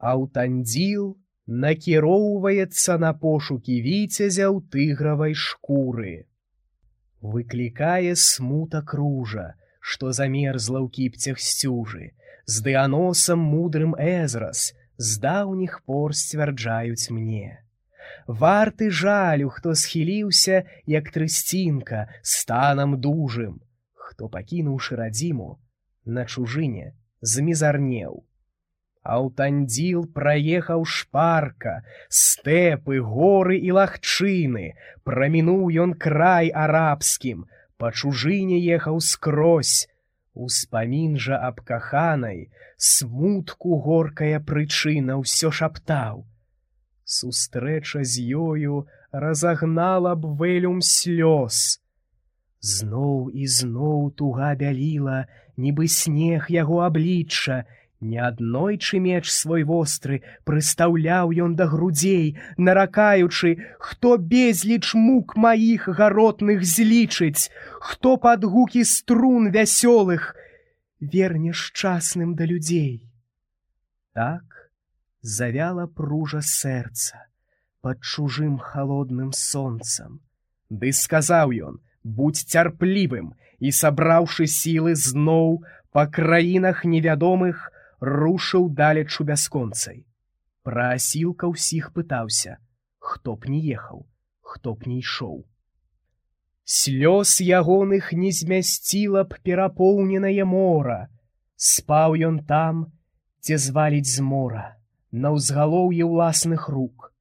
Аўтандзіл накіроўваецца на пошукі віцязя ў тыгравай шкуры. Выклікае смутак ружа, што замерзла ў кіпцях сцюжы, з дыаносам мудрым Эзрас з даўніх пор сцвярджаюць мне. Варты жалю, хто схіліўся, як трысцінка, станам дужым, хто, пакінуўшы радзіму, на чужыне змізарнеў. Аўтандзіл праехаў шпарка, стэпы, горы і лагчыны, прамінуў ён край арабскім, па чужыне ехаў скрозь. Успамін жа аб каханай, смутку горкая прычына ўсё шаптаў. Сустрэча з ёю разагнала б вэлюм слёз. Зноў і зноў туга бяліла, нібы снег яго аблічча. Неаднойчы меч свой востры прыстаўляў ён да грудзей, наракаючы, хто безліч мук маіх гаротных злічыць, хто пад гукі струн вясёлых верне шчасным да людзей. Так завяла пружа сэрца пад чужым халодным сонцам. Ды сказаў ён: будь цярплівым, і, сабраўшы сілы, зноў па краінах невядомых рушыў далечу бясконцай. Пра асілка ўсіх пытаўся, хто б не ехаў, хто б не ішоў. Слёз ягоных не змясціла б перапоўненае мора. Спаў ён там, дзе зваліць з мора, на ўзгалоўі ўласных рук.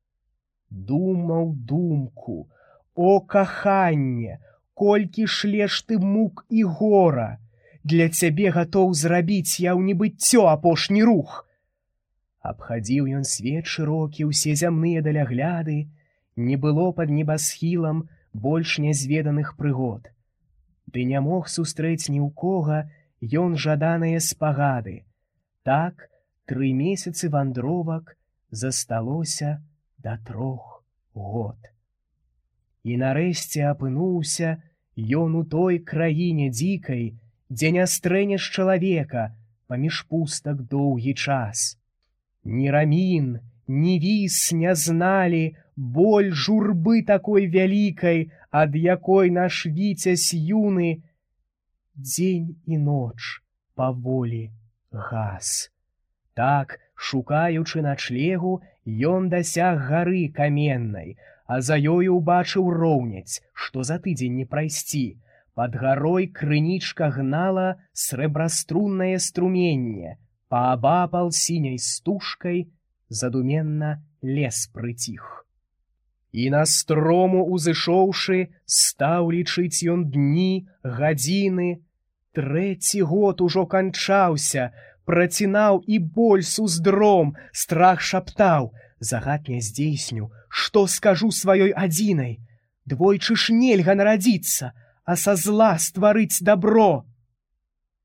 Думаў думку: о, каханне, колькі шлеш ты мук і гора! Для цябе гатоў зрабіць я ў небыццё апошні рух. Абхадзіў ён свет шырокі, усе зямныя далягляды, не было пад небасхілам больш нязведаных прыгод. Ды не мог сустрэць ні ў кога ён жаданыя спагады. Так 3 месяцы вандровак засталося да 3 год. І нарэшце апынуўся ён у той краіне дзікай, дзе не стрэнеш чалавека паміж пустак доўгі час. Ні рамін, ні віс не зналі боль журбы такой вялікай, ад якой наш віцязь юны дзень і ноч паволі гас. Так, шукаючы начлегу, ён дасяг гары каменнай, а за ёю ўбачыў роўняць, што за тыдзень не прайсці. Пад гарой крынічка гнала срэбраструннае струменне, паабапал сіняй стужкай задуменна лес прыціх. І на строму узышоўшы, стаў лічыць ён дні, гадзіны. 3 год ужо канчаўся, працінаў і боль суздром, страх шаптаў: загад не здзейсню, што скажу сваёй адзінай. Двойчы ж нельга нарадзіцца, а са зла стварыць дабро.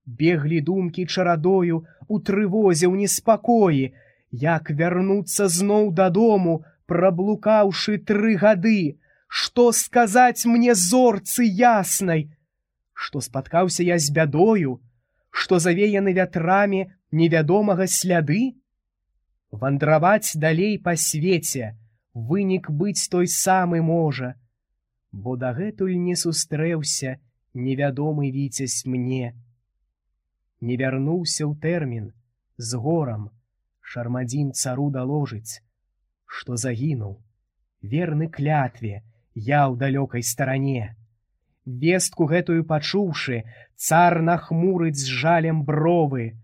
Беглі думкі чарадою у трывозе, ў неспакоі, як вярнуцца зноў дадому, праблукаўшы 3 гады, што сказаць мне зорцы яснай, што спаткаўся я з бядою, што завеяны вятрамі невядомага сляды. Вандраваць далей па свеце, вынік быць той самы можа, бо дагэтуль не сустрэўся невядомы віцязь мне. Не вярнуўся ў тэрмін, з горам Шармадзін цару даложыць, што загінуў, верны клятве, я ў далёкай старане. Вестку гэтую пачуўшы, цар нахмурыць з жалем бровы.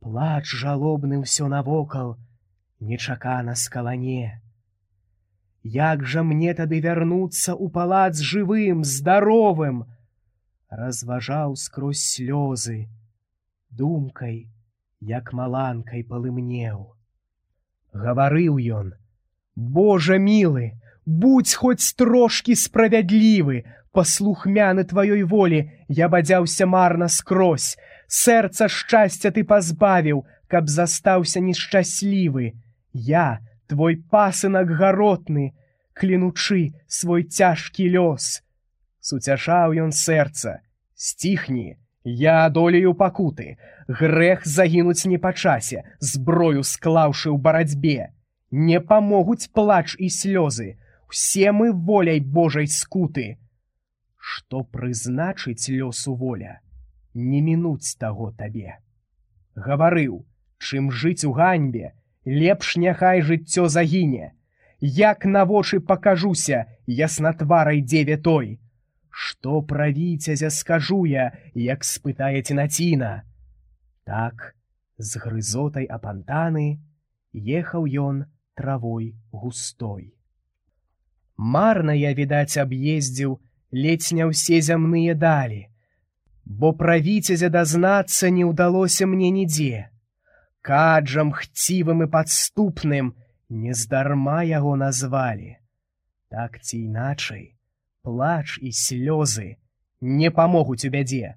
Плач жалобны ўсё навокал, нечакана скалане. Як жа мне тады вярнуцца ў палац жывым, здаровым? Разважаў скрозь слёзы, думкай, як маланкай палымнеў. Гаварыў ён: Божа мілы, будзь хоць трошкі справядлівы, паслухмяны тваёй волі, я бадзяўся марна скрозь, сэрца шчасця ты пазбавіў, каб застаўся нешчаслівы. Я, твой пасынак гаротны, клянучы свой цяжкі лёс. Суцяшаў ён сэрца: сціхні, Я адолею пакуты, грэх загінуць не па часе, зброю склаўшы ў барацьбе. Не памогуць плач і слёзы, усе мы воляй Божай скуты. Што прызначыць лёсу воля, не мінуць таго табе. Гаварыў, чым жыць у ганьбе, лепш няхай жыццё загіне. Як на вочы пакажуся яснатварай дзеве той. Што пра віцязя скажу я, як спытае Цінаціна. Так, з грызотай апантаны, ехаў ён травой густой. Марна я, відаць, аб'ездзіў ледзь не ўсе зямныя далі, бо пра віцязя дазнацца не ўдалося мне нідзе. Каджам хцівым і падступным нездарма яго назвалі. Так ці іначай, плач і слёзы не памогуць у бядзе.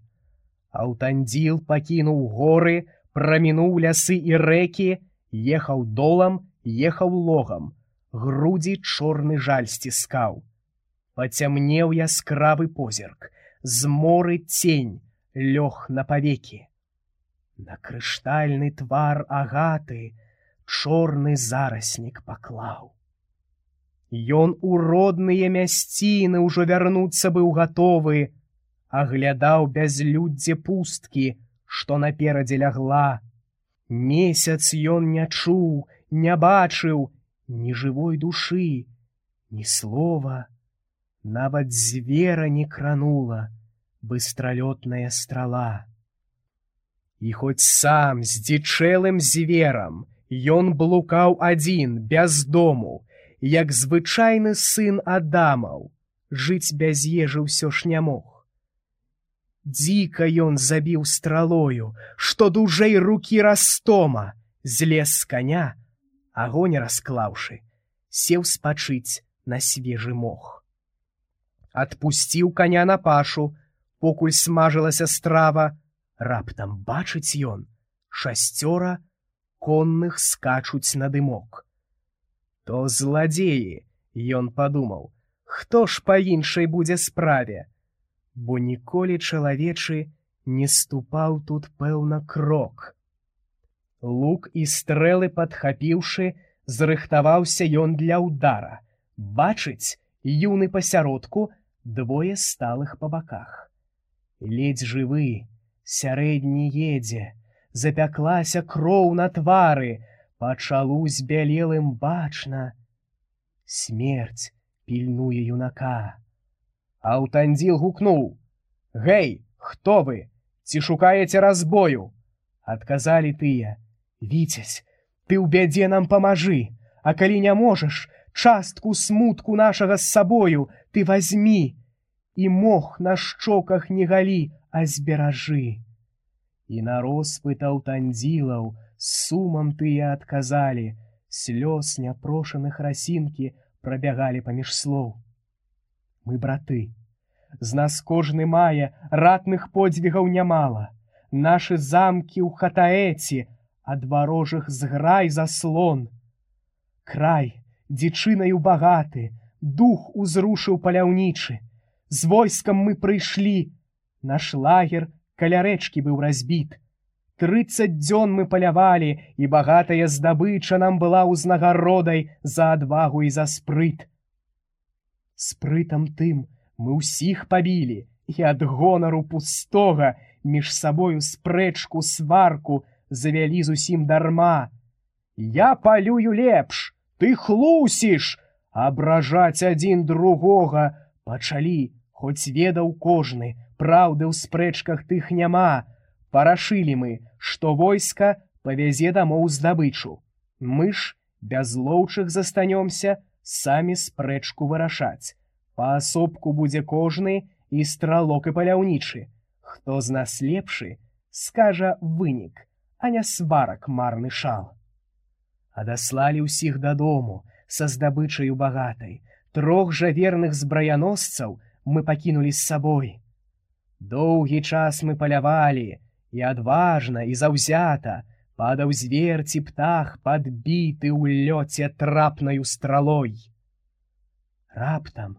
Аўтандзіл пакінуў горы, прамінуў лясы і рэкі, ехаў долам, ехаў логам, грудзі чорны жаль сціскаў. Пацямнеў яскравы позірк, з моры цень лёг на павекі. На крыштальны твар агаты чорны зараснік паклаў. Ён у родныя мясціны ўжо вярнуцца быў гатовы, аглядаў бязлюддзе пусткі, што наперадзе лягла. Месяц ён не чуў, не бачыў ні жывой душы, ні слова. Нават звера не кранула быстралётная страла. І хоць сам здзічэлым зверам ён блукаў адзін, без дому, як звычайны сын Адамаў, жыць без ежы ўсё ж не мог. Дзіка ён забіў стралою, што дужэй рукі растома, злез з каня, агонь расклаўшы, сеў спачыць на свежы мох. Адпусціў каня на пашу, покуль смажылася страва, раптам бачыць ён, 6 конных скачуць на дымок. То зладзеі, ён падумаў, хто ж па іншай будзе справе, бо ніколі чалавечы не ступаў тут, пэўна, крок. Лук і стрэлы падхапіўшы, зрыхтаваўся ён для ўдара. Бачыць, юны пасяродку, 2 сталых па баках. Ледзь жывы, сярэдні едзе, запяклася кроў на твары, пачалу збялелым бачна. Смерць пільнуе юнака. Аўтандзіл гукнуў: «Гэй, хто вы? Ці шукаеце разбою?» Адказалі тыя: «Віцязь, ты ў бядзе нам памажы, а калі не можаш, частку смутку нашага з сабою ты вазьмі, і мох на шчоках не галі, а зберажы». І на роспыт аўтандзілаў з сумам тыя адказалі, слёз няпрошаных расінкі прабягалі паміж слоў. Мы браты, з нас кожны мае ратных подзвігаў нямала, нашы замкі ў Хатаэці, ад варожых зграй заслон. Край дзічынаю багаты, дух узрушыў паляўнічы, з войскам мы прыйшлі, наш лагер каля рэчкі быў разбіт. 30 дзён мы палявалі, і багатая здабыча нам была ўзнагародай за адвагу і за спрыт. Спрытам тым мы ўсіх пабілі, і ад гонару пустога між сабою спрэчку, сварку завялі зусім дарма. Я палюю лепш, ты хлусіш, абражаць адзін другога пачалі, хоць ведаў кожны, праўды ў спрэчках тых няма. Парашылі мы, што войска павязе дамоў здабычу. Мы ж без лоўчых застанёмся самі спрэчку вырашаць. Паасобку будзе кожны і стралок і паляўнічы. Хто з нас лепшы, скажа вынік, а не сварак марны шал. Адаслалі ўсіх дадому са здабычаю багатай. 3 жа верных збраяносцаў мы пакінулі з сабой. Доўгі час мы палявалі, і адважна, і заўзята падаў звер ці птах, падбіты ў лёце трапнаю стралой. Раптам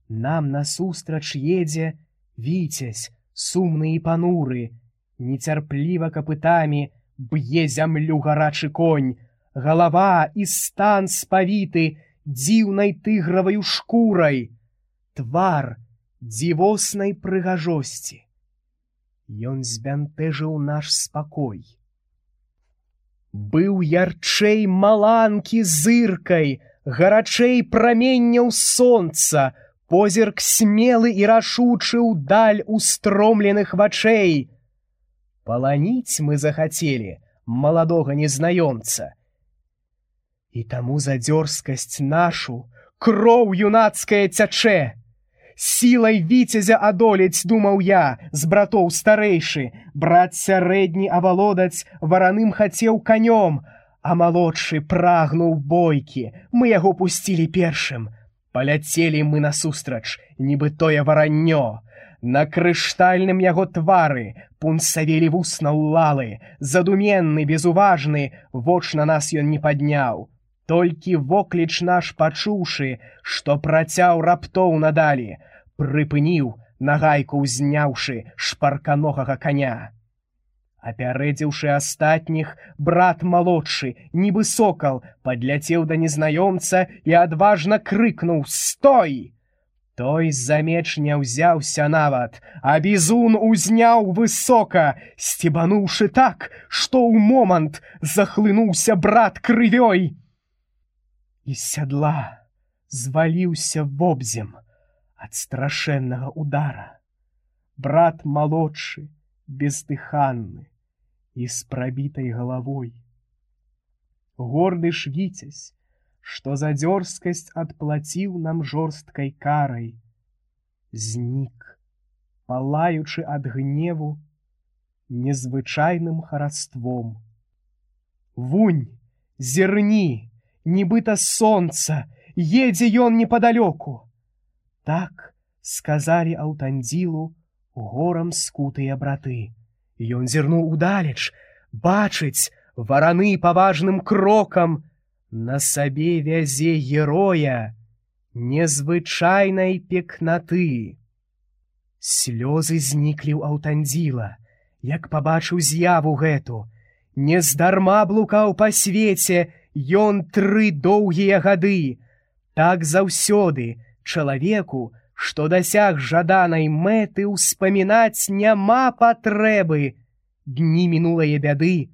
нам насустрач едзе віцязь сумны і пануры, нецярпліва капытамі б'е зямлю гарачы конь, галава і стан спавіты дзіўнай тыграваю шкурай, твар дзівоснай прыгажосці. Ён збянтэжыў наш спакой. Быў ярчэй маланкі зыркай, гарачэй праменняў сонца, позірк смелы і рашучы ўдаль устромленых вачэй. Паланіць мы захацелі маладога незнаёмца. І таму за дзёрзкасць нашу кроў юнацкая цячэ. Сілай віцязя адолець, думаў я, з братоў старэйшы, брат сярэдні авалодаць вараным хацеў канём, а малодшы прагнуў бойкі, мы яго пусцілі першым. Паляцелі мы насустрач, нібы тое вараннё. На крыштальным яго твары пунсавелі вусна ўлалы, задуменны, безуважны, воч на нас ён не падняў. Толькі вокліч наш пачуўшы, што працяў раптоў надалі, прыпыніў, нагайку ўзняўшы шпарканогага коня. Апярэдзіўшы астатніх, брат малодшы, нібы сокал, падляцеў да незнаёмца і адважна крыкнуў: «Стой!» Той за меч не ўзяўся нават, а бізун узняў высока, сцебануўшы так, што ў момант захлынуўся брат крывёй. І з сядла зваліўся вобзем ад страшэннага удара. Брат малодшы, бездыханны і з прабітай галавой. Горды ж віцязь, што за дзёрзкасць адплаціў нам жорсткай карай, знік, палаючы ад гневу незвычайным хараством. Вунь, зірні, нібыта сонца, едзе ён непадалёку. Так сказалі Аўтандзілу горам скутыя браты. Ён зірнуў удалеч, бачыць, вараны паважным крокам на сабе вязе героя незвычайнай пекнаты. Слёзы зніклі ў Аўтандзіла, як пабачыў з'яву гэту. Нездарма блукаў па свеце ён 3 доўгія гады. Так заўсёды чалавеку, што дасяг жаданай мэты, ўспамінаць няма патрэбы дні мінулае бяды.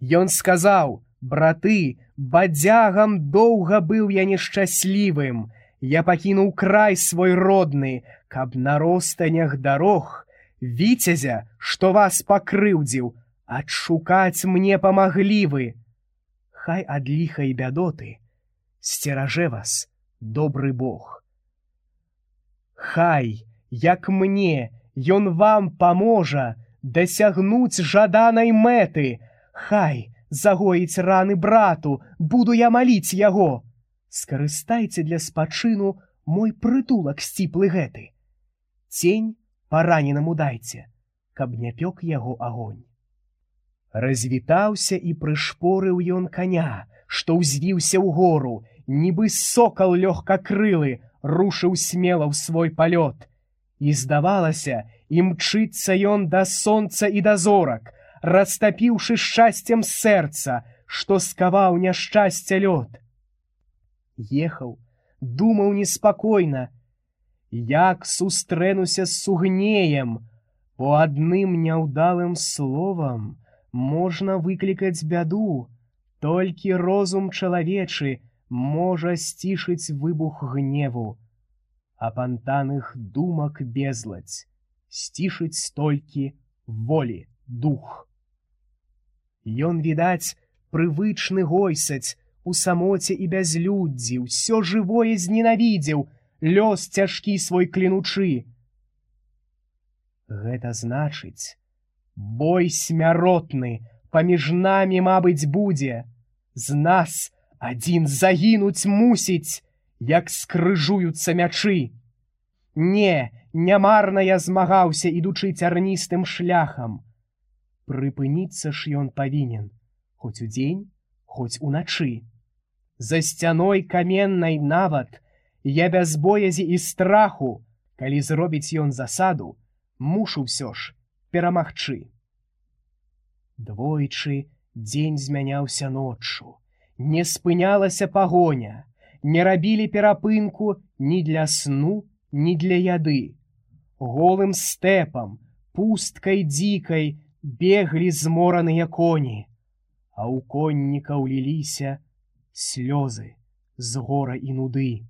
Ён сказаў: «Браты, бадзягам доўга быў я нешчаслівым. Я пакінуў край свой родны, каб на ростанях дарог віцязя, што вас пакрыўдзіў, адшукаць мне памаглі вы. Хай ад ліха і бядоты сцеражэ вас добры Бог. Хай, як мне, ён вам паможа дасягнуць жаданай мэты. Хай загоіць раны брату, буду я маліць яго. Скарыстайце для спачыну мой прытулак сціплы гэты. Цень параненаму дайце, каб не пёк яго агонь». Развітаўся і прышпорыў ён коня, што ўзвіўся ў гору, нібы сокал лёгкакрылы рушыў смела ў свой палёт. І здавалася, імчыцца ён да сонца і да зорак, растапіўшы шчасцем сэрца, што скаваў няшчасця лёд. Ехаў, думаў неспакойна, як сустрэнуся з сугнеем, по адным няўдалым словам можна выклікаць бяду, толькі розум чалавечы можа сцішыць выбух гневу, апантаных думак безладзь сцішыць толькі волі дух. Ён, відаць, прывычны гойсаць у самоце і бязлюддзі, ўсё жывое зненавідзеў, лёс цяжкі свой клянучы. Гэта значыць, бой смяротны паміж намі, мабыць, будзе. З нас адзін загінуць мусіць, як скрыжуюцца мячы. Не марна я змагаўся, ідучы цярністым шляхам. Прыпыніцца ж ён павінен, хоць удзень, хоць уначы. За сцяной каменнай нават я без боязі і страху, калі зробіць ён засаду, Мушу ўсё ж перамагчы. Двойчы дзень змяняўся ноччу, не спынялася пагоня, не рабілі перапынку ні для сну, ні для яды. Голым стэпам, пусткай дзікай беглі змораныя коні, а ў коннікаў ліліся слёзы з гора і нуды.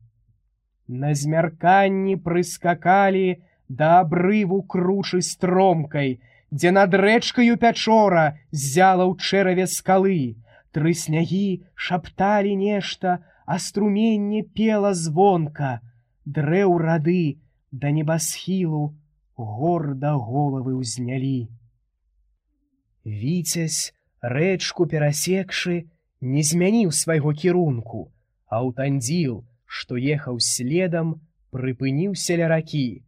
На змярканні прыскакалі да абрыву кручы стромкай, дзе над рэчкаю Пячора ззяла ў чэраве скалы. Трыснягі шапталі нешта, а струменне пела звонка. Дрэў рады да небасхілу горда головы ўзнялі. Віцязь, рэчку перасекшы, не змяніў свайго кірунку, а Аўтандзіл, што ехаў следам, прыпыніўся ля ракі.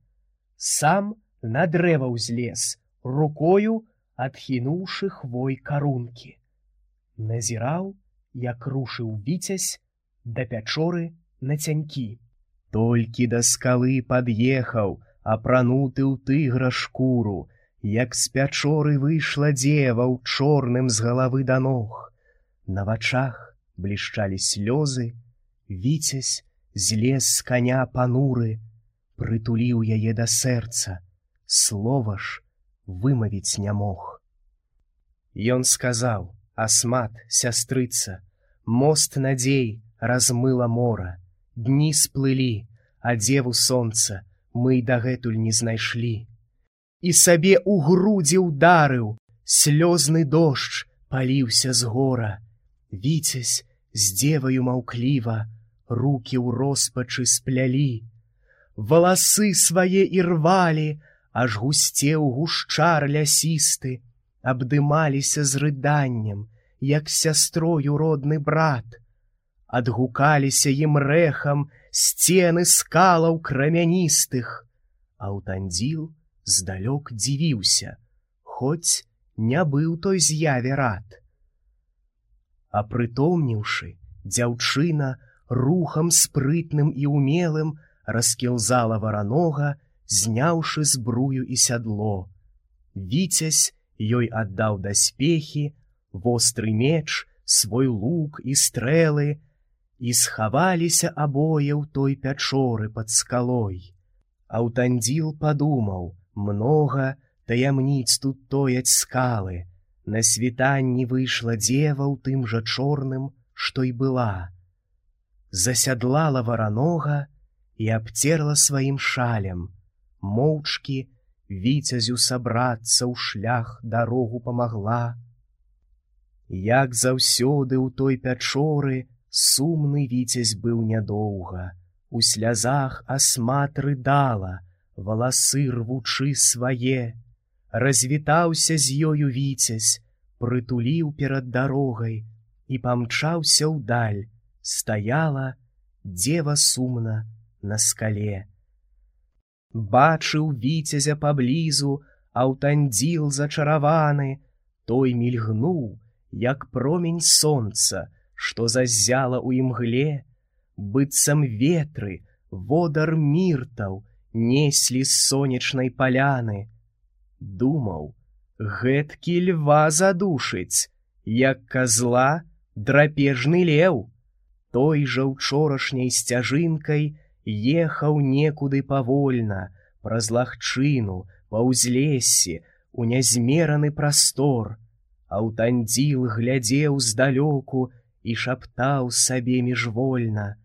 Сам на дрэва ўзлез, рукою адхінуўшы хвой карункі. Назіраў, як рушыў Віцязь да Пячоры на цянькі. Толькі да скалы пад'ехаў, апрануты ў тыгра шкуру, як з Пячоры выйшла дзева ў чорным з галавы да ног. На вачах блішчалі слёзы, Віцязь злез з каня пануры, прытуліў яе да сэрца, слова ж вымавіць не мог. Ён сказаў: «Асмат, сястрыца, мост надзей размыла мора, дні сплылі, а дзеву сонца мы і дагэтуль не знайшлі». І сабе ў грудзі ўдарыў, слёзны дождж паліўся з гора. Віцязь з дзеваю маўкліва рукі ў роспачы сплялі. Валасы свае і рвалі, аж гусцеў гушчар лясісты, абдымаліся з рыданнем, як з сястрою родны брат. Адгукаліся ім рэхам сцены скалаў крамяністых. Аўтандзіл здалёк дзівіўся, хоць не быў той з'яве рад. Апрытомніўшы, дзяўчына рухам спрытным і умелым раскілзала варанога, зняўшы збрую і сядло. Віцязь ёй аддаў даспехі, востры меч, свой лук і стрэлы, і схаваліся абое ў той Пячоры пад скалой. Аўтандзіл падумаў: многа таямніц тут тояць скалы. На світанні выйшла дзева ў тым жа чорным, што і была. Засядлала варанога і абцерла сваім шалем. Моўчкі Віцязю сабрацца ў шлях дарогу памагла. Як заўсёды ў той Пячоры сумны Віцязь быў нядоўга. У слязах Асмат рыдала, валасы рвучы свае. Развітаўся з ёю Віцязь, прытуліў перад дарогай і памчаўся ўдаль. Стаяла дзева сумна на скале. Бачыў Віцязя паблізу Аўтандзіл зачараваны, той мільгнуў, як промень сонца, што заззяла ў імгле, быццам ветры, водар міртаў неслі з сонечнай паляны. Думаў, гэткі льва задушыць, як казла драпежны леў. Той жа ўчорашняй сцяжынкай ехаў некуды павольна, праз лагчыну, па ўзлессі, у нязмераны прастор. Аўтандзіл глядзеў здалёку і шаптаў сабе міжвольна: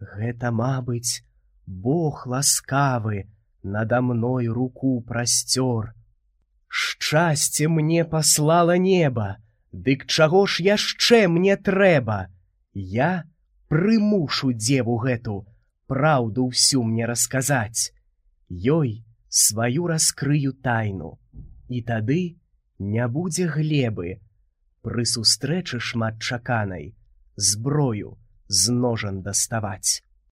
«Гэта, мабыць, Бог ласкавы нада мной руку прасцёр. Шчасце мне паслала неба, дык чаго ж яшчэ мне трэба? Я прымушу дзеву гэту праўду ўсю мне расказаць. Ёй сваю раскрыю тайну, і тады не будзе глебы. Пры сустрэчы шматчаканай зброю з ножан даставаць».